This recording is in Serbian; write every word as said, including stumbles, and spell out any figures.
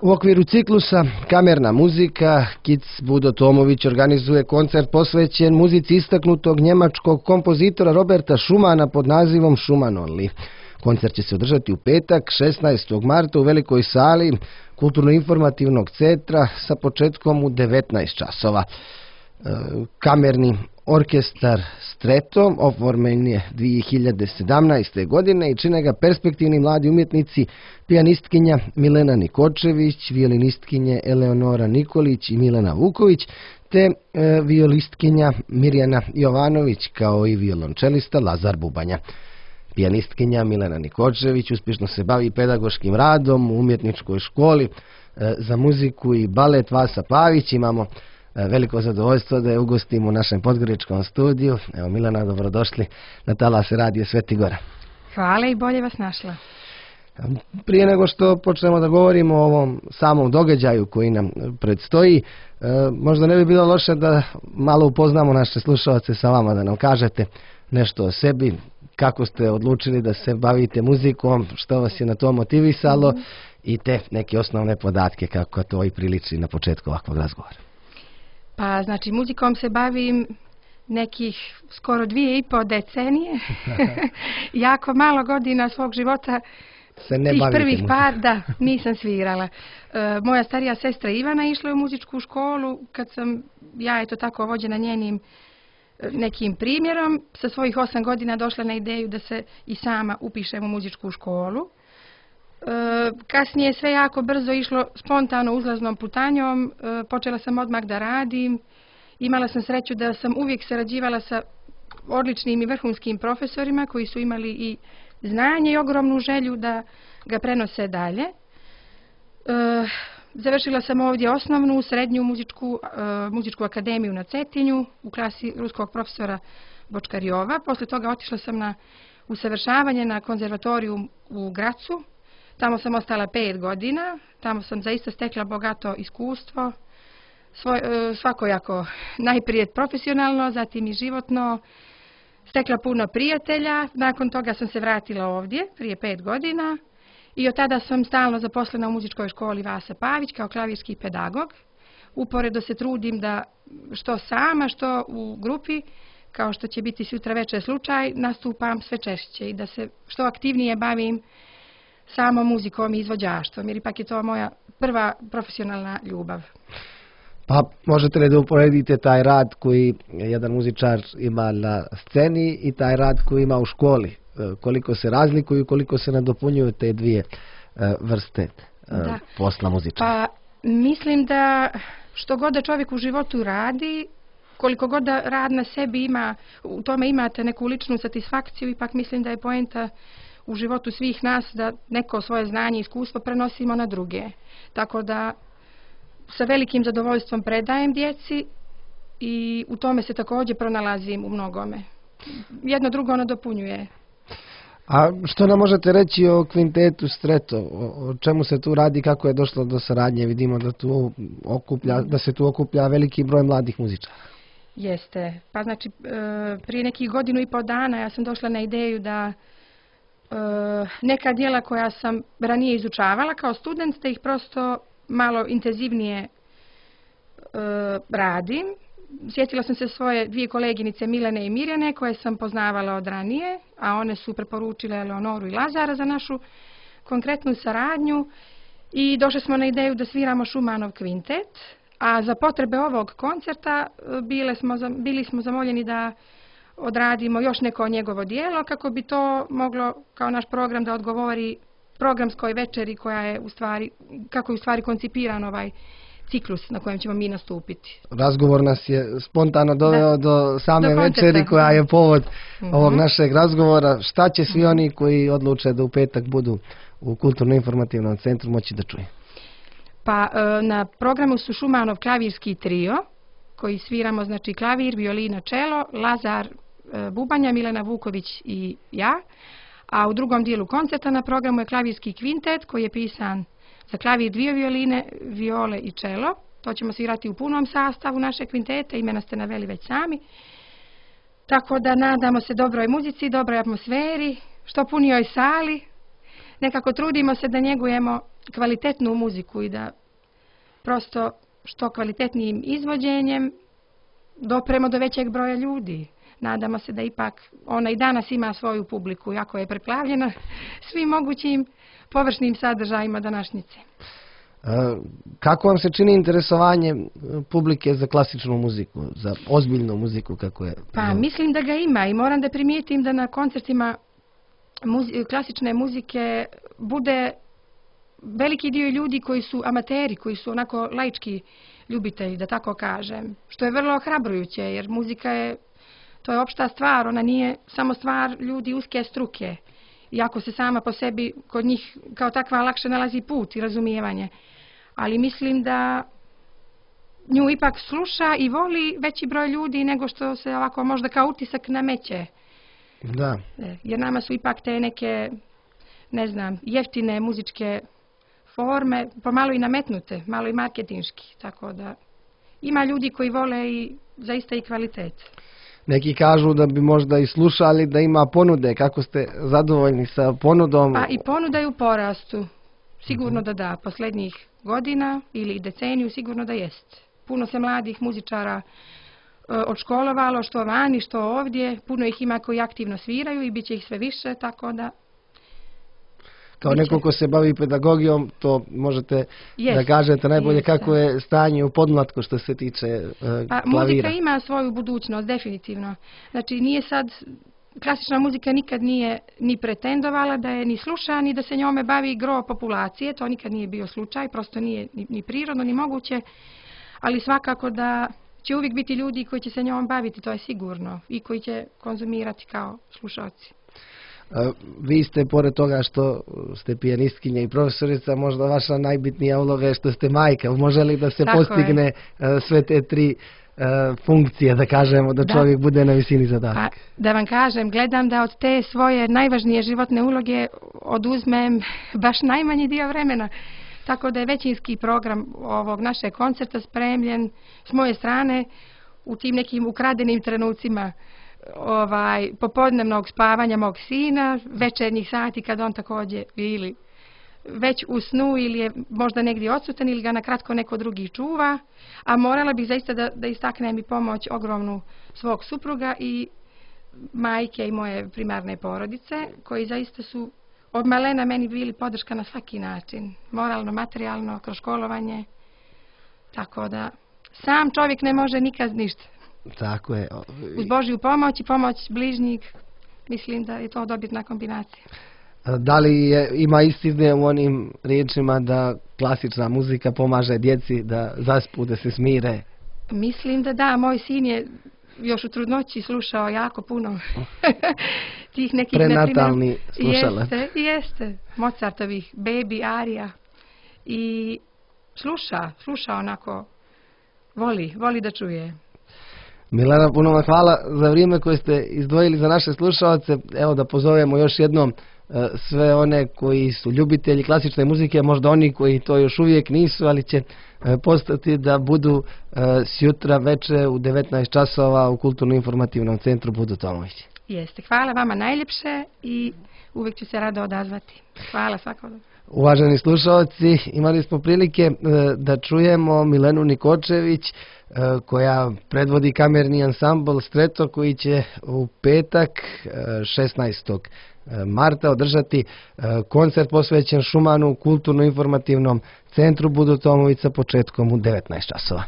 U okviru ciklusa Kamerna muzika Kic Budo Tomović organizuje koncert posvećen muzici istaknutog njemačkog kompozitora Roberta Schumana pod nazivom Schumann Only. Koncert će se održati u petak, šesnaestog marta u velikoj sali Kulturno-informativnog centra sa početkom u devetnaest časova. Kamerni orkestar Stretto oformljen je dvije hiljade sedamnaeste. godine i čine ga perspektivni mladi umjetnici, pijanistkinja Milena Nikočević, violinistkinje Eleonora Nikolić i Milena Vuković, te e, violistkinja Mirjana Jovanović, kao i violončelista Lazar Bubanja. Pijanistkinja Milena Nikočević uspješno se bavi pedagoškim radom u umjetničkoj školi e, za muziku i balet Vasa Pavić. Imamo veliko zadovoljstvo da je ugostimo u našem podgoričkom studiju. Evo, Milena, dobrodošli na talase Radio Sveti Gora. Hvala i bolje vas našla. Prije nego što počnemo da govorimo o ovom samom događaju koji nam predstoji, možda ne bi bilo loše da malo upoznamo naše slušalce sa vama, da nam kažete nešto o sebi, kako ste odlučili da se bavite muzikom, što vas je na to motivisalo mm-hmm. i te neke osnovne podatke kako to i priliči na početku ovakvog razgovora. Pa, znači, muzikom se bavim nekih skoro dvije i po decenije. Jako malo godina svog života, se ne tih prvih muzikom. par, da, nisam svirala. E, moja starija sestra Ivana išla je u muzičku školu, kad sam ja, eto tako, vođena njenim nekim primjerom, sa svojih osam godina došla na ideju da se i sama upišem u muzičku školu. E, kasnije je sve jako brzo išlo spontano uzlaznom putanjom, e, počela sam odmah da radim, imala sam sreću da sam uvijek sarađivala sa odličnim i vrhunskim profesorima koji su imali i znanje i ogromnu želju da ga prenose dalje. E, završila sam ovdje osnovnu, srednju muzičku, e, muzičku akademiju na Cetinju u klasi ruskog profesora Bočkarjova. Posle toga otišla sam na usavršavanje na konzervatoriju u Gracu. Tamo sam ostala pet godina, tamo sam zaista stekla bogato iskustvo, svoj, svakojako najprije profesionalno, zatim i životno, stekla puno prijatelja. Nakon toga sam se vratila ovdje prije pet godina i od tada sam stalno zaposlena u muzičkoj školi Vasa Pavić kao klavirski pedagog. Uporedo se trudim da što sama, što u grupi, kao što će biti sutra večer slučaj, nastupam sve češće i da se što aktivnije bavim samo muzikom i izvođaštvom, jer ipak je to moja prva profesionalna ljubav. Pa možete li da uporedite taj rad koji jedan muzičar ima na sceni i taj rad koji ima u školi? Koliko se razlikuju, koliko se nadopunjuju te dvije vrste da. posla muzičara? Pa mislim da što god da čovjek u životu radi, koliko god da rad na sebi ima, u tome imate neku ličnu satisfakciju, ipak mislim da je poenta u životu svih nas da neko svoje znanje i iskustvo prenosimo na druge. Tako da sa velikim zadovoljstvom predajem djeci i u tome se također pronalazim u mnogome. Jedno drugo nadopunjuje. A što nam možete reći o kvintetu Stretto? O čemu se tu radi, kako je došlo do saradnje? Vidimo da, tu okuplja, da se tu okuplja veliki broj mladih muzičara. Jeste. Pa znači prije nekih godinu i pol dana ja sam došla na ideju da neka djela koja sam ranije izučavala kao student, da ih prosto malo intenzivnije e, radim. Sjetila sam se svoje dvije koleginice Milene i Mirjane koje sam poznavala od ranije, a one su preporučile Eleonoru i Lazara za našu konkretnu saradnju i došli smo na ideju da sviramo Schumannov kvintet, a za potrebe ovog koncerta bile smo, bili smo zamoljeni da odradimo još neko njegovo dijelo kako bi to moglo kao naš program da odgovori programskoj večeri koja je u stvari, kako je u stvari koncipiran ovaj ciklus na kojem ćemo mi nastupiti. Razgovor nas je spontano doveo do same do večeri koja je povod mm-hmm. ovog našeg razgovora. Šta će svi oni koji odluče da u petak budu u Kulturno-informativnom centru moći da čuje? Pa na programu su Schumannov klavirski trio koji sviramo, znači klavir, violina, čelo, Lazar Bubanja, Milena Vuković i ja. A u drugom dijelu koncerta na programu je klavirski kvintet koji je pisan za klavir, dvije violine, viole i čelo. To ćemo svirati u punom sastavu naše kvintete, imena ste naveli već sami. Tako da nadamo se dobroj muzici, dobroj atmosferi, što punijoj sali, nekako trudimo se da njegujemo kvalitetnu muziku i da prosto što kvalitetnijim izvođenjem dopremo do većeg broja ljudi. Nadamo se da ipak ona i danas ima svoju publiku, jako je preplavljena svim mogućim površnim sadržajima današnjice. Kako vam se čini interesovanje publike za klasičnu muziku, za ozbiljnu muziku kako je? Pa mislim da ga ima i moram da primijetim da na koncertima muzi klasične muzike bude veliki dio ljudi koji su amateri, koji su onako laički ljubitelji, da tako kažem, što je vrlo ohrabrujuće, jer muzika je, to je opšta stvar, ona nije samo stvar ljudi uske struke, iako se sama po sebi kod njih kao takva lakše nalazi put i razumijevanje. Ali mislim da nju ipak sluša i voli veći broj ljudi nego što se ovako možda kao utisak nameće. Da. Jer nama su ipak te neke, ne znam, jeftine muzičke forme, pomalo i nametnute, malo i marketinški, tako da ima ljudi koji vole i zaista i kvalitet. Neki kažu da bi možda i slušali da ima ponude, kako ste zadovoljni sa ponudom? Pa i ponuda je u porastu, sigurno da da, posljednjih godina ili deceniju sigurno da jest. Puno se mladih muzičara odškolovalo, što vani, što ovdje, puno ih ima koji aktivno sviraju i bit će ih sve više, tako da... Kao neko ko se bavi pedagogijom, to možete yes, da kažete najbolje yes, kako je stanje u podmlatku što se tiče uh, pa, klavira. Muzika ima svoju budućnost, definitivno. Znači nije sad, klasična muzika nikad nije ni pretendovala da je ni sluša, ni da se njome bavi gro populacije, to nikad nije bio slučaj, prosto nije ni, ni prirodno, ni moguće, ali svakako da će uvijek biti ljudi koji će se njom baviti, to je sigurno, i koji će konzumirati kao slušalci. Vi ste, pored toga što ste pijanistkinja i profesorica, možda vaša najbitnija uloga je što ste majka. Može li da se Tako postigne je. sve te tri uh, funkcije, da kažemo, da, da čovjek bude na visini zadatka? Pa, da vam kažem, gledam da od te svoje najvažnije životne uloge oduzmem baš najmanji dio vremena. Tako da je većinski program ovog našeg koncerta spremljen s moje strane u tim nekim ukradenim trenucima ovaj, popodnevnog spavanja mog sina, večernjih sati kad on također ili već u snu ili je možda negdje odsutan ili ga na kratko neko drugi čuva, a morala bih zaista da, da istaknem i pomoć ogromnu svog supruga i majke i moje primarne porodice, koji zaista su od malena meni bili podrška na svaki način, moralno, materijalno, kroz školovanje, tako da sam čovjek ne može nikad ništa. Tako je. Uz Božju pomoć i pomoć bližnjih, mislim da je to dobitna kombinacija. Da li je, ima istine u onim riječima da klasična muzika pomaže djeci da zaspu, da se smire? Mislim da da, moj sin je još u trudnoći slušao jako puno tih nekih... Prenatalni slušalac. Jeste, jeste. Mozartovih Baby arija. I sluša, sluša onako, voli, voli da čuje. Milena, puno vam hvala za vrijeme koje ste izdvojili za naše slušalce. Evo da pozovemo još jednom sve one koji su ljubitelji klasične muzike, možda oni koji to još uvijek nisu, ali će postati da budu sjutra veče u devetnaest časova u Kulturno-informativnom centru Budo Tomović. Jeste, hvala vama najljepše i uvijek ću se rado odazvati. Hvala svakodobno. Uvaženi slušalci, imali smo prilike da čujemo Milenu Nikočević koja predvodi kamerni ansambl Streto koji će u petak šesnaestog marta održati koncert posvećen Šumanu u Kulturno-informativnom centru Budo Tomović sa početkom u devetnaest časova.